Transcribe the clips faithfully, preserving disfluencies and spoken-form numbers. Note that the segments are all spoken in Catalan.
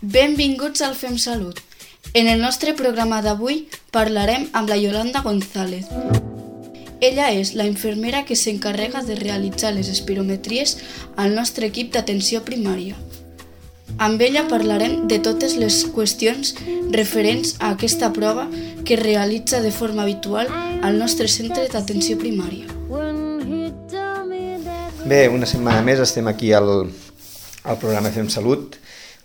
Benvinguts al Fem Salut. En el nostre programa d'avui parlarem amb la Yolanda González. Ella és la infermera que s'encarrega de realitzar les espirometries al nostre equip d'atenció primària. Amb ella parlarem de totes les qüestions referents a aquesta prova que es realitza de forma habitual al nostre centre d'atenció primària. Bé, una setmana més estem aquí al, al programa Fem Salut,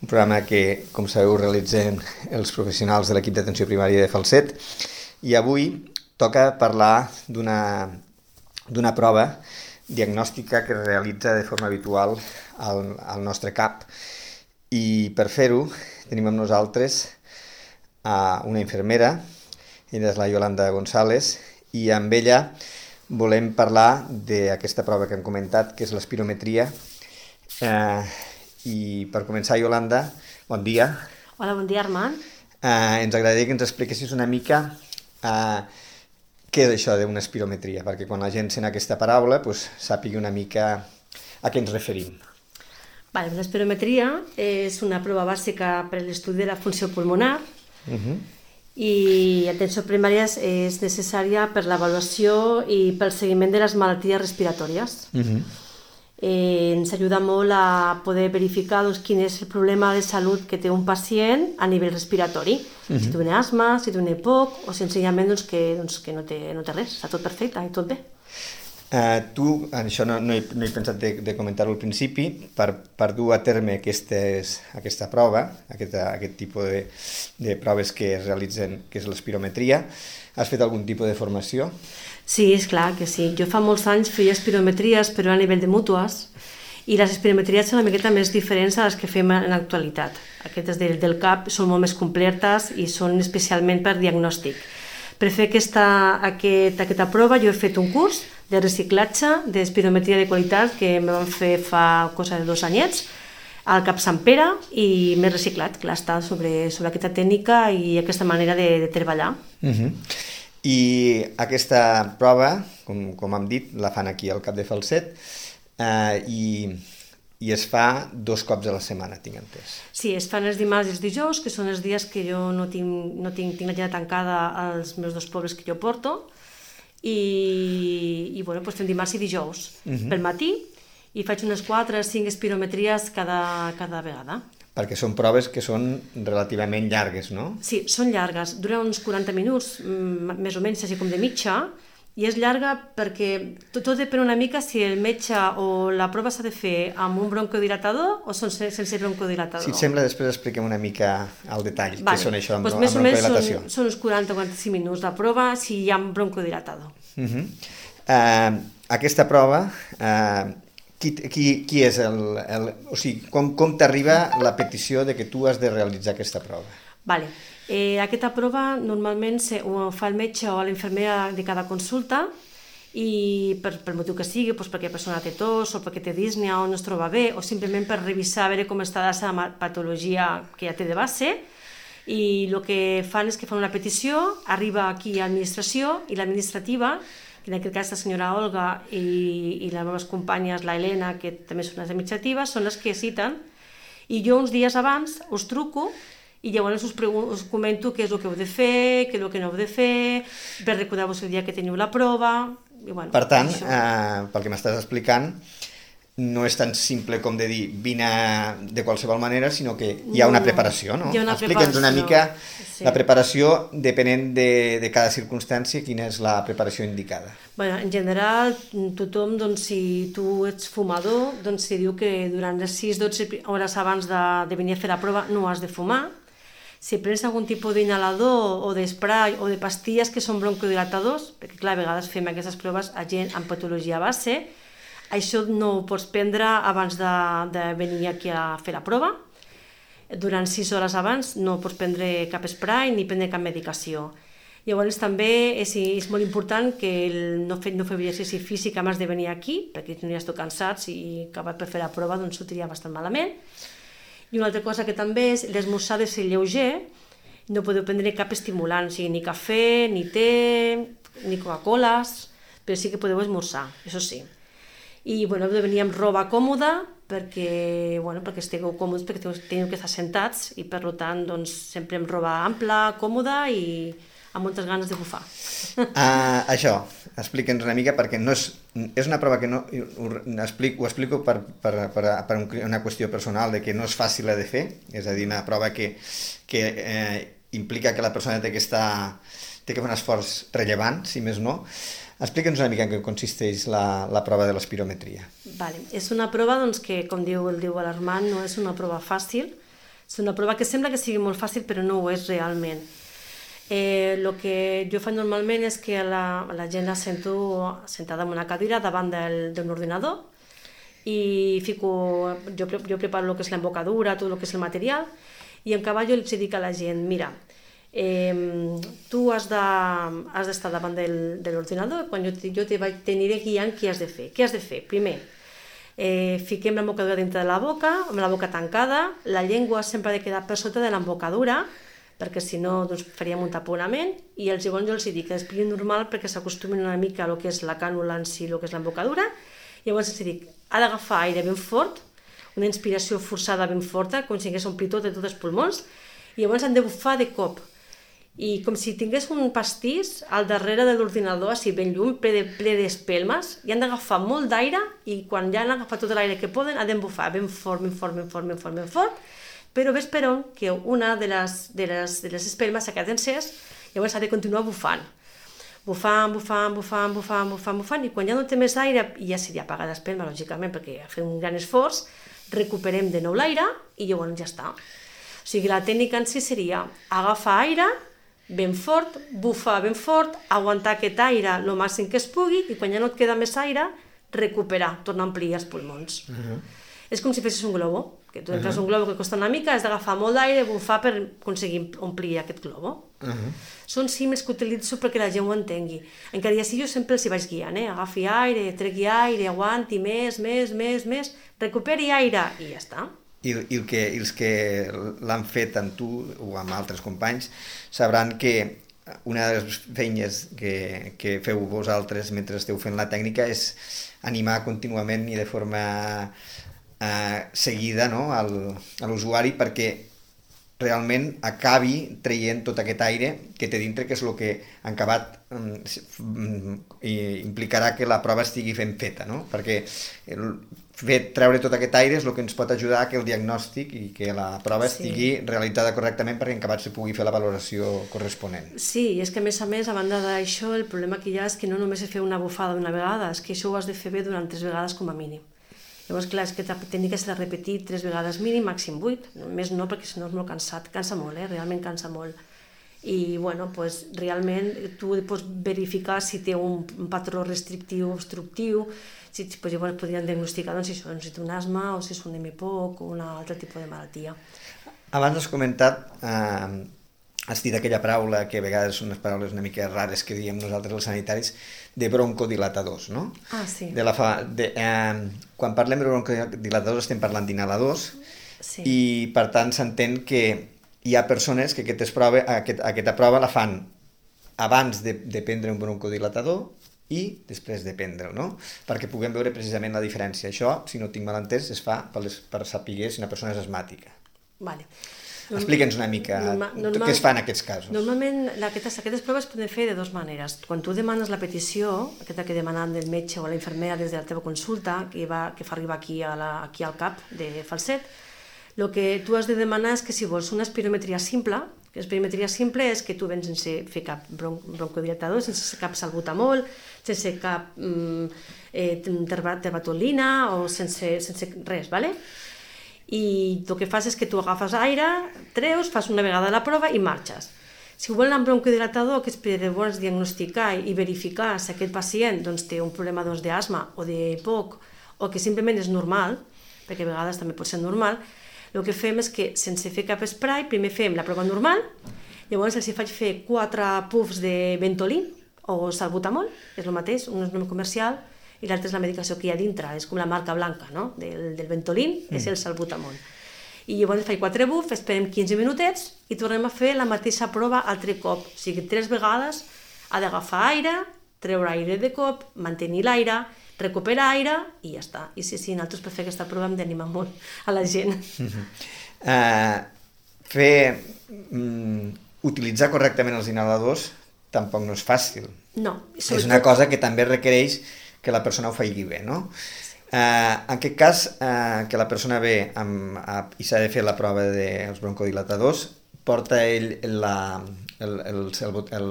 un programa que, com sabeu, realitzen els professionals de l'equip d'atenció primària de Falset, i avui toca parlar d'una d'una prova diagnòstica que es realitza de forma habitual al, al nostre C A P. I per fer-ho tenim amb nosaltres a una infermera, ella és la Yolanda González, i amb ella volem parlar d'aquesta prova que hem comentat, que és l'espirometria. Eh, I per començar, Yolanda, bon dia. Hola, bon dia, Armand. Eh, ens agradaria que ens expliquessis una mica eh, què és això d'una espirometria, perquè quan la gent sent aquesta paraula pues, sàpigui una mica a què ens referim. Vale, l'espirometria és una prova bàsica per a l'estudi de la funció pulmonar uh-huh. i atenció primària és necessària per l'avaluació i pel seguiment de les malalties respiratòries. Uh-huh. Eh, ens ajuda molt a poder verificar doncs, quin és el problema de salut que té un pacient a nivell respiratori. Uh-huh. Si té asma, si té un E P O C o senzillament doncs, que, doncs, que no, té, no té res, està tot perfecte i tot bé. Uh, tu, això no, no, he, no he pensat de, de comentar-ho al principi, per, per dur a terme aquestes, aquesta prova, aquest, aquest tipus de, de proves que es realitzen, que és l'espirometria, has fet algun tipus de formació? Sí, és clar que sí. Jo fa molts anys feia espirometries, però a nivell de mútues, i les espirometries són una miqueta més diferents a les que fem en l'actualitat. Aquestes del, del C A P són molt més completes i són especialment per diagnòstic. Per fer aquesta, aquest, aquesta prova jo he fet un curs de reciclatge d'espirometria de qualitat que em van fer fa cosa de dos anyets al C A P Sant Pere i m'he reciclat, clar, està sobre, sobre aquesta tècnica i aquesta manera de, de treballar. Uh-huh. I aquesta prova, com, com hem dit, la fan aquí al C A P de Falset eh, i, i es fa dos cops a la setmana, tinc entès. Sí, es fan els dimarts i els dijous, que són els dies que jo no tinc, no tinc, tinc l'agenda tancada als meus dos pobles que jo porto, i, i bueno, doncs fem dimarts i dijous uh-huh. pel matí, i faig unes quatre o cinc espirometries cada, cada vegada. Perquè són proves que són relativament llargues, no? Sí, són llargues, duren uns quaranta minuts, més o menys, així com de mitja, i és llarga perquè tot, tot depèn una mica si el metge o la prova s'ha de fer amb un broncodilatador o sense broncodilatador. Si et sembla, després expliquem una mica al detall vale. Què són això amb, pues amb Més broncodilatació. o menys són, són uns quaranta a quaranta-cinc minuts la prova si hi ha broncodilatador. Uh-huh. uh, aquesta prova... Uh, Qui, qui, qui és el... el o sigui, com, com t'arriba la petició de que tu has de realitzar aquesta prova? Vale. Eh, aquesta prova normalment se, ho fa el metge o l'infermera de cada consulta i per, per motiu que sigui, doncs perquè la persona té tos o perquè té dísnia o no es troba bé o simplement per revisar a veure com està la seva patologia que ja té de base, i el que fan és que fan una petició, arriba aquí a l'administració i l'administrativa, en aquest cas la senyora Olga i, i les meves companyes, la Helena, que també són les administratives, són les que citen, i jo uns dies abans us truco i llavors us, us comento què és el que heu de fer, què és el que no heu de fer, per recordar-vos el dia que teniu la prova... I bueno, per tant, eh, pel que m'estàs explicant, no és tan simple com de dir vine de qualsevol manera, sinó que hi ha una preparació, no? Hi ha una Explica'ns preparació. una mica Sí. la preparació depenent de, de cada circumstància, quina és la preparació indicada. Bueno, en general, tothom, doncs, si tu ets fumador, doncs si diu que durant les sis a dotze hores abans de, de venir a fer la prova no has de fumar. Si prens algun tipus d'inhalador o d'esprai o de pastilles que són broncodilatadors, perquè clar, a vegades fem aquestes proves a gent amb patologia base, això no ho pots prendre abans de, de venir aquí a fer la prova. Durant sis hores abans no pots prendre cap spray ni prendre cap medicació. Llavors també és, és molt important que el, no fer no fer exercici físic abans de venir aquí, perquè si no ja esteu cansats i acabat per fer la prova doncs sortiria bastant malament. I una altra cosa que també és l'esmorzar de ser lleuger, no podeu prendre cap estimulant, o sigui, ni cafè, ni te, ni Coca-Coles, però sí que podeu esmorzar, això sí. i bueno, venia amb roba còmoda perquè, bueno, perquè estigueu còmodes, perquè teniu que estar sentats i per tant doncs, sempre amb roba ampla, còmoda i amb moltes ganes de bufar. Uh, això, explica'ns una mica perquè no és, és una prova que no, ho, explico, ho explico per, per, per, per una qüestió personal de que no és fàcil de fer, és a dir, una prova que, que eh, implica que la persona té que estar, té que fer un esforç rellevant, si més no. Explica'ns una mica en què consisteix la, la prova de l'espirometria. Vale. És una prova doncs, que, com diu el diu l'Armand, no és una prova fàcil, és una prova que sembla que sigui molt fàcil però no ho és realment. Eh, el que jo faig normalment és que la, la gent la sento sentada en una cadira davant d'un ordinador i fico, jo, jo preparo el que és l'embocadura, tot el que és el material, i en cavall jo els dic a la gent, mira, Eh, tu has d'estar de, davant del, de l'ordinador, quan jo, jo te vaig t'aniré guiant què has de fer. Què has de fer? Primer, eh, fiquem l'embocadura dintre de la boca, amb la boca tancada, la llengua sempre ha de quedar per sota de l'embocadura, perquè si no doncs, faríem un taponament, i els llavors jo els dic que respirin normal perquè s'acostumin una mica a lo que és la cànula en si, el que és l'embocadura, i llavors els dic, ha d'agafar aire ben fort, una inspiració forçada ben forta, com si hagués omplit tot de tots els pulmons, i llavors han de bufar de cop, i com si tingués un pastís al darrere de l'ordinador, així ben llum, ple d'espelmes, i han d'agafar molt d'aire i quan ja han agafat tot l'aire que poden han d'embufar ben fort, ben fort, ben fort, ben fort, ben fort, però ves per on que una de les, de les, de les espelmes s'ha quedat encès, llavors ha de continuar bufant. Bufant, bufant, bufant, bufant, bufant, bufant, i quan ja no té més aire, i ja seria apagar l'espelma, lògicament, perquè ha fet un gran esforç, recuperem de nou l'aire i llavors ja està. O sigui, la tècnica en si seria agafar aire, ben fort, bufar ben fort, aguantar aquest aire el màxim que es pugui i quan ja no et queda més aire, recuperar, tornar a ampliar els pulmons. Uh-huh. És com si fessis un globo, que tu entres uh-huh. un globo que costa una mica, has d'agafar molt d'aire, bufar per aconseguir omplir aquest globo. Uh-huh. Són símils que utilitzo perquè la gent ho entengui. Encara ja sí, jo sempre els hi vaig guiant, eh? Agafi aire, tregui aire, aguanti més, més, més, més, recuperi aire i ja està. I, i el que, els que l'han fet amb tu o amb altres companys sabran que una de les feines que, que feu vosaltres mentre esteu fent la tècnica és animar contínuament i de forma eh, seguida, no, al, a l'usuari perquè realment acabi traient tot aquest aire que té dintre, que és el que en acabat um, implicarà que la prova estigui ben feta, no? Perquè el fet treure tot aquest aire és el que ens pot ajudar a que el diagnòstic i que la prova sí. estigui realitzada correctament perquè en acabat se pugui fer la valoració corresponent. Sí, i és que a més a més, a banda d'això, el problema que hi ha és que no només és fer una bufada una vegada, és que això ho has de fer bé durant tres vegades com a mínim. Llavors, clar, és que la tècnica s'ha de repetir tres vegades mínim, màxim vuit, més no, perquè si no és molt cansat, cansa molt, eh? Realment cansa molt. I, bueno, pues, realment tu pots verificar si té un, un patró restrictiu o obstructiu, si pues, llavors podrien diagnosticar doncs, si, això, si té un asma o si és un hemipoc o un altre tipus de malaltia. Abans has comentat, eh, has dit aquella paraula que a vegades són unes paraules una mica rares que diem nosaltres els sanitaris, de broncodilatadors, no? Ah, sí. De la fa, de, eh, quan parlem de broncodilatadors estem parlant d'inhaladors sí. i per tant s'entén que hi ha persones que aquesta prova, aquest, aquesta prova la fan abans de, de prendre un broncodilatador i després de prendre'l, no? Perquè puguem veure precisament la diferència. Això, si no tinc mal entès, es fa per, les, per saber si una persona és asmàtica. Vale. Explica'ns una mica normal, normal, què es fa en aquests casos. Normalment aquestes, aquestes proves es poden fer de dues maneres. Quan tu demanes la petició, aquesta que demanen del metge o la infermera des de la teva consulta, que, va, que fa arribar aquí, a la, aquí al cap de Falset, el que tu has de demanar és que si vols una espirometria simple, que espirometria simple és que tu vens sense fer cap bron broncodilatador, sense cap salbutamol, sense cap mm, eh, terbatolina o sense, sense res, ¿vale? I el que fas és que tu agafes aire, treus, fas una vegada la prova i marxes. Si volen un broncodilatador, que és per llavors diagnosticar i verificar si aquest pacient doncs, té un problema doncs, d'asma o de poc, o que simplement és normal, perquè a vegades també pot ser normal, el que fem és que sense fer cap spray, primer fem la prova normal, llavors els hi faig fer quatre puffs de Ventolin o salbutamol, és el mateix, un és un nom comercial, i l'altra és la medicació que hi ha dintre, és com la marca blanca, no? del, del Ventolin, mm. és el salbutamol. I llavors faig quatre buffs, esperem quinze minutets i tornem a fer la mateixa prova altre cop. O sigui, tres vegades ha d'agafar aire, treure aire de cop, mantenir l'aire, recupera aire i ja està. I sí, sí, nosaltres per fer aquesta prova hem d'animar molt a la gent. Uh, fer... Um, utilitzar correctament els inhaladors tampoc no és fàcil. No. És una cosa que també requereix que la persona ho faci bé, no? Sí. Uh, en aquest cas, uh, que la persona ve amb, uh, i s'ha de fer la prova dels broncodilatadors, porta ell la, el, el, el, el,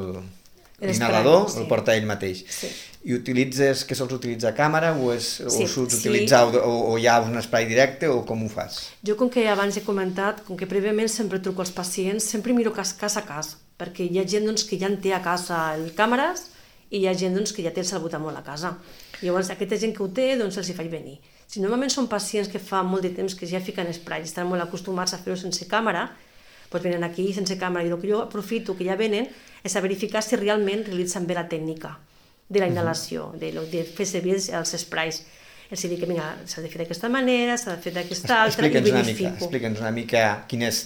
l'inhalador, sí. El porta ell mateix. Sí. I utilitzes, que sols utilitzar càmera o, és, sí, o sols sí. utilitzar o, o hi ha un spray directe o com ho fas? Jo, com que abans he comentat, com que prèviament sempre truco als pacients, sempre miro cas, cas a cas, perquè hi ha gent doncs, que ja en té a casa el càmeres i hi ha gent doncs, que ja té el salbutamol a casa. Llavors, aquesta gent que ho té, doncs els hi faig venir. Si normalment són pacients que fa molt de temps que ja fiquen spray i estan molt acostumats a fer-ho sense càmera, doncs venen aquí sense càmera. I el que jo aprofito que ja venen és a verificar si realment realitzen bé la tècnica de la inhalació, de, de fer servir els sprays. Els dic que s'ha de fer d'aquesta manera, s'ha de fer d'aquesta altra, i verifico. Explica'ns una mica quines,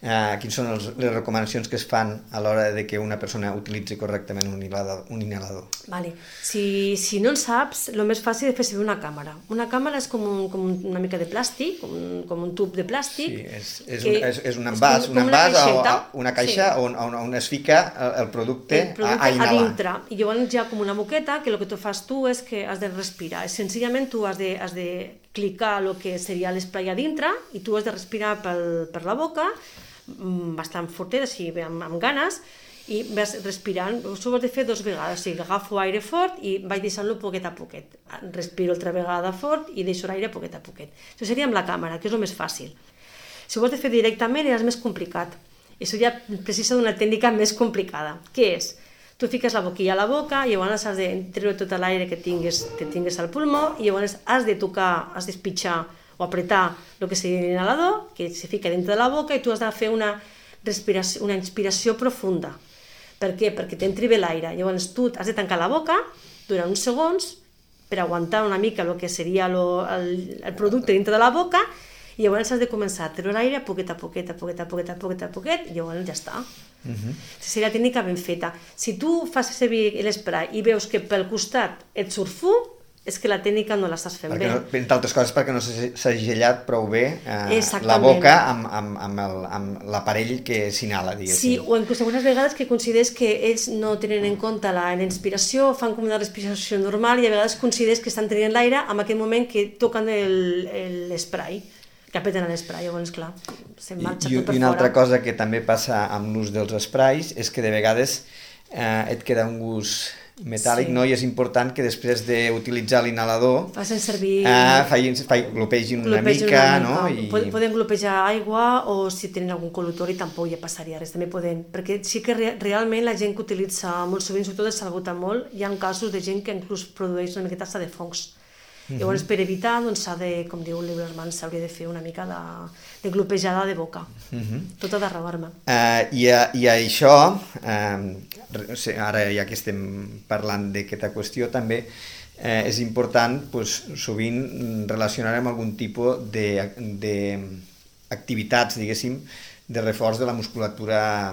eh, quines són els, les recomanacions que es fan a l'hora de que una persona utilitzi correctament un inhalador. Un inhalador. Vale. Si, si no en saps, el més fàcil és fer servir una càmera. Una càmera és com, un, com una mica de plàstic, com un, com un tub de plàstic. Sí, és, és, un, és, és un envàs, és un envàs una, o, una caixa sí. on, on, on es fica el, el producte, el producte a, a inhalar. A dintre. I llavors hi ha com una boqueta que el que tu fas tu és que has de respirar. Senzillament tu has de, has de clicar el que seria l'esprai a dintre i tu has de respirar pel, per la boca bastant fortet, així, amb, amb ganes, i vas respirant. Això ho has de fer dues vegades, o sigui, agafo aire fort i vaig deixant-lo poquet a poquet. Respiro altra vegada fort i deixo l'aire poquet a poquet. Això seria amb la càmera, que és el més fàcil. Si ho has de fer directament ja és més complicat. Això ja precisa d'una tècnica més complicada. Què és? Tu fiques la boquilla a la boca i llavors has de treure tot l'aire que tingues, que tingues al pulmó i llavors has de tocar, has d'espitxar o apretar el que seria l'inhalador, que se fica dintre de la boca i tu has de fer una, respiració, una inspiració profunda. Per què? Perquè t'entri bé l'aire. Llavors tu has de tancar la boca durant uns segons per aguantar una mica el que seria lo, el, el producte dintre de la boca i llavors has de començar a treure l'aire a poquet a poquet, a poquet a poquet, a poquet, a poquet i llavors ja està. Uh-huh. Seria la tècnica ben feta. Si tu fas servir l'esprai i veus que pel costat et surt fum, és que la tècnica no l'estàs fent perquè bé. No, entre altres coses perquè no s'ha gellat prou bé eh, la boca amb, amb, amb, el, amb l'aparell que s'inhala, diguéssim. Sí, o inclús algunes vegades que consideres que ells no tenen en compte la inspiració, fan com una respiració normal i a vegades consideres que estan tenint l'aire en aquell moment que toquen l'esprai, que apreten l'esprai, llavors, clar, se'n marxa I, tot per fora. I una fora. altra cosa que també passa amb l'ús dels esprais és que de vegades eh, et queda un gust metàl·lic, sí. No? I és important que després d'utilitzar l'inhalador facin servir... Eh, facin, facin, glopegin una glopegin mica, una no? I... Poden glopejar aigua o si tenen algun col·lutori tampoc hi passaria res, també poden, perquè sí que re realment la gent que utilitza molt sovint, sobretot el salbutamol, hi ha casos de gent que inclús produeix una miqueta de fongs. Uh-huh. Llavors, per evitar, doncs s'ha de, com diu l'Iberman, s'hauria de fer una mica de, de glopejada de boca. Uh-huh. Tot ha de rebar-me. Uh, i, a, I a això, uh, ara ja que estem parlant d'aquesta qüestió, també eh, és important, pues, sovint relacionar amb algun tipus d'activitats, diguéssim, de reforç de la musculatura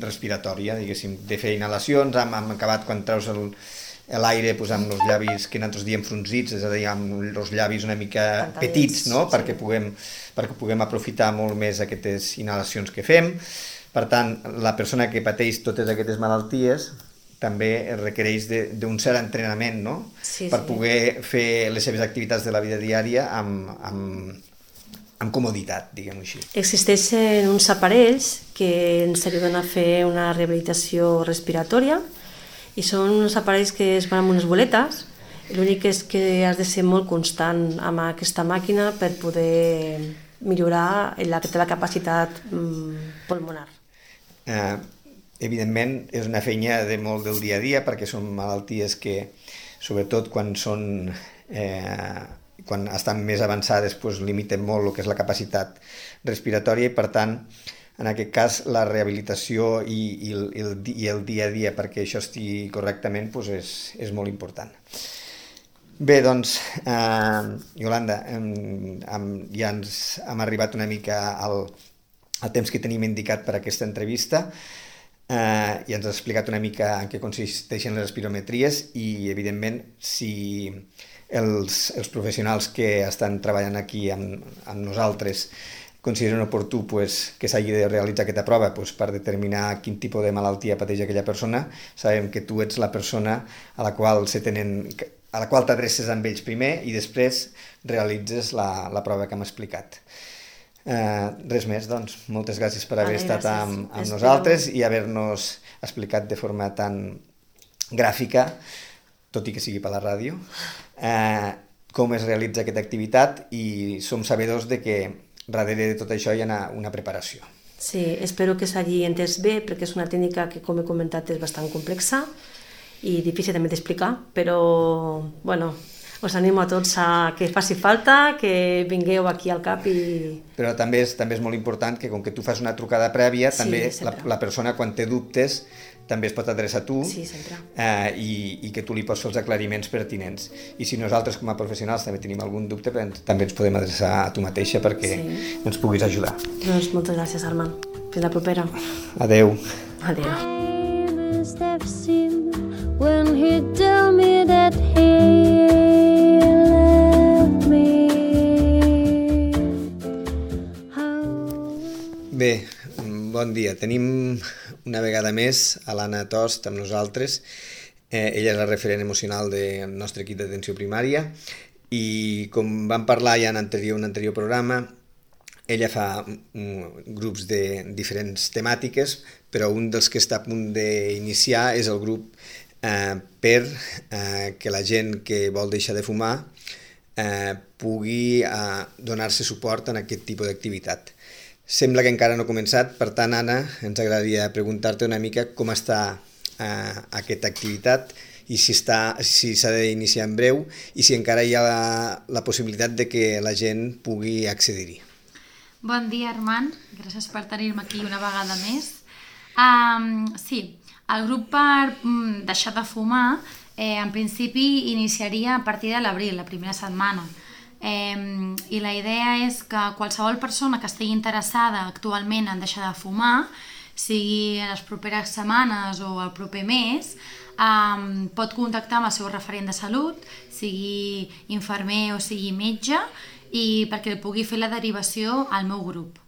respiratòria, diguéssim, de fer inhalacions, hem, hem acabat quan treus el l'aire pues, amb els llavis que nosaltres diem fronzits, és a dir, amb els llavis una mica Pantallets, petits, no? Sí. perquè, puguem, perquè puguem aprofitar molt més aquestes inhalacions que fem. Per tant, la persona que pateix totes aquestes malalties també requereix d'un cert entrenament, no? Sí, per sí. poder fer les seves activitats de la vida diària amb, amb, amb comoditat, diguem-ho així. Existeixen uns aparells que ens ajuden a fer una rehabilitació respiratòria i són uns aparells que es van amb unes boletes. L'únic és que has de ser molt constant amb aquesta màquina per poder millorar la, la capacitat mm, pulmonar. Eh, evidentment és una feina de molt del dia a dia perquè són malalties que, sobretot quan són eh, quan estan més avançades, doncs, limiten molt el que és la capacitat respiratòria i per tant en aquest cas la rehabilitació i, i, el, i el dia a dia perquè això estigui correctament doncs és, és molt important. Bé, doncs, eh, Iolanda, eh, ja ens hem arribat una mica al, al temps que tenim indicat per a aquesta entrevista eh, i ens has explicat una mica en què consisteixen les espirometries i, evidentment, si els, els professionals que estan treballant aquí amb, amb nosaltres consideren oportú pues, que s'hagi de realitzar aquesta prova pues, per determinar quin tipus de malaltia pateix aquella persona. Sabem que tu ets la persona a la qual se tenen, a la qual t'adreces amb ells primer i després realitzes la, la prova que hem explicat. Uh, res més, doncs, moltes gràcies per haver vale, estat amb, amb nosaltres i haver-nos explicat de forma tan gràfica, tot i que sigui per la ràdio, uh, com es realitza aquesta activitat i som sabedors de que darrere de tot això hi ha una, una preparació. Sí, espero que s'hagi entès bé perquè és una tècnica que, com he comentat, és bastant complexa i difícil també d'explicar, però, bueno, us animo a tots a que faci falta, que vingueu aquí al CAP i... Però també és, també és molt important que com que tu fas una trucada prèvia, sí, també la, la persona quan té dubtes també es pot adreçar a tu sí, eh, i, i que tu li pots fer els aclariments pertinents. I si nosaltres com a professionals també tenim algun dubte, també ens podem adreçar a tu mateixa perquè sí. ens puguis ajudar. Doncs moltes gràcies, Armand. Fins la propera. Adeu. Adeu. When he told me that he loved me. Bé, bon dia. Tenim una vegada més a l'Anna Tost amb nosaltres. Eh, ella és la referent emocional del nostre equip d'atenció primària i com vam parlar ja en anterior, un anterior programa, ella fa um, grups de diferents temàtiques, però un dels que està a punt d'iniciar és el grup Eh, per eh, que la gent que vol deixar de fumar eh, pugui eh, donar-se suport en aquest tipus d'activitat. Sembla que encara no ha començat, per tant, Anna, ens agradaria preguntar-te una mica com està eh, aquesta activitat i si s'ha si d'iniciar en breu i si encara hi ha la, la possibilitat de que la gent pugui accedir-hi. Bon dia, Armand. Gràcies per tenir-me aquí una vegada més. Um, sí, el grup per mm, deixar de fumar eh, en principi iniciaria a partir de l'abril, la primera setmana. Eh, I la idea és que qualsevol persona que estigui interessada actualment en deixar de fumar, sigui en les properes setmanes o el proper mes, eh, pot contactar amb el seu referent de salut, sigui infermer o sigui metge, i perquè el pugui fer la derivació al meu grup.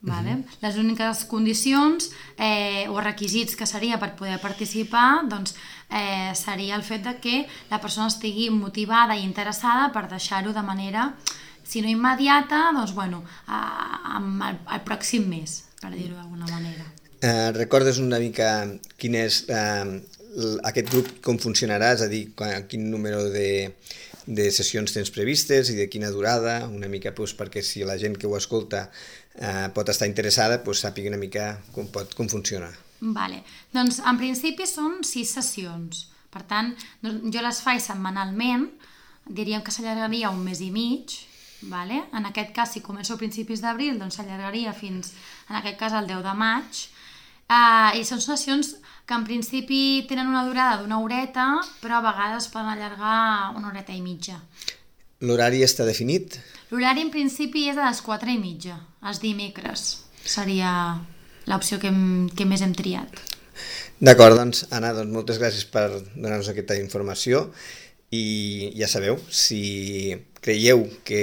Vale? Uh-huh. Les úniques condicions eh, o requisits que seria per poder participar doncs, eh, seria el fet de que la persona estigui motivada i interessada per deixar-ho de manera, si no immediata, doncs bueno, a, a, al, al pròxim mes, per dir-ho d'alguna manera. Eh, recordes una mica quin és eh, aquest grup, com funcionarà, és a dir, quin número de, de sessions tens previstes i de quina durada, una mica doncs, perquè si la gent que ho escolta eh, pot estar interessada, doncs, sàpiga una mica com, pot, com funciona. Vale. Doncs en principi són sis sessions, per tant jo les faig setmanalment, diríem que s'allargaria un mes i mig, vale? En aquest cas si començo a principis d'abril doncs s'allargaria fins, en aquest cas el deu de maig, uh, i són sessions que en principi tenen una durada d'una horeta, però a vegades poden allargar una horeta i mitja. L'horari està definit? L'horari en principi és a les quatre i mitja, els dimecres. Seria l'opció que, hem, que més hem triat. D'acord, doncs, Anna, doncs, moltes gràcies per donar-nos aquesta informació i ja sabeu, si creieu que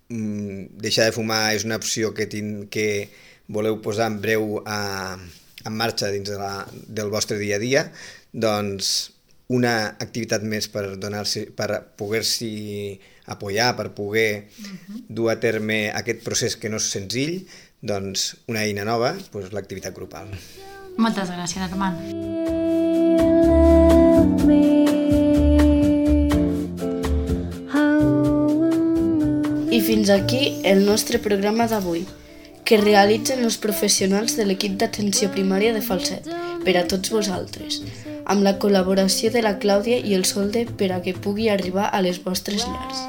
mm, deixar de fumar és una opció que, tin, que voleu posar en breu a, en marxa dins de la, del vostre dia a dia, doncs una activitat més per donar-se, per poder-s'hi apoyar, per poder uh-huh. dur a terme aquest procés que no és senzill, doncs una eina nova, doncs l'activitat grupal. Moltes gràcies, Armand. I fins aquí el nostre programa d'avui, que realitzen els professionals de l'equip d'atenció primària de Falset, per a tots vosaltres, amb la col·laboració de la Clàudia i el Solde per a que pugui arribar a les vostres llars.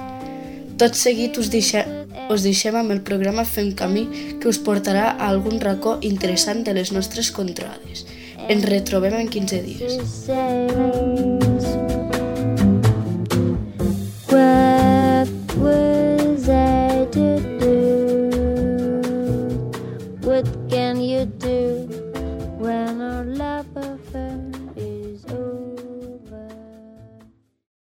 Tot seguit us, deixa, us deixem amb el programa Fem Camí, que us portarà a algun racó interessant de les nostres contrades. Ens retrobem en quinze dies.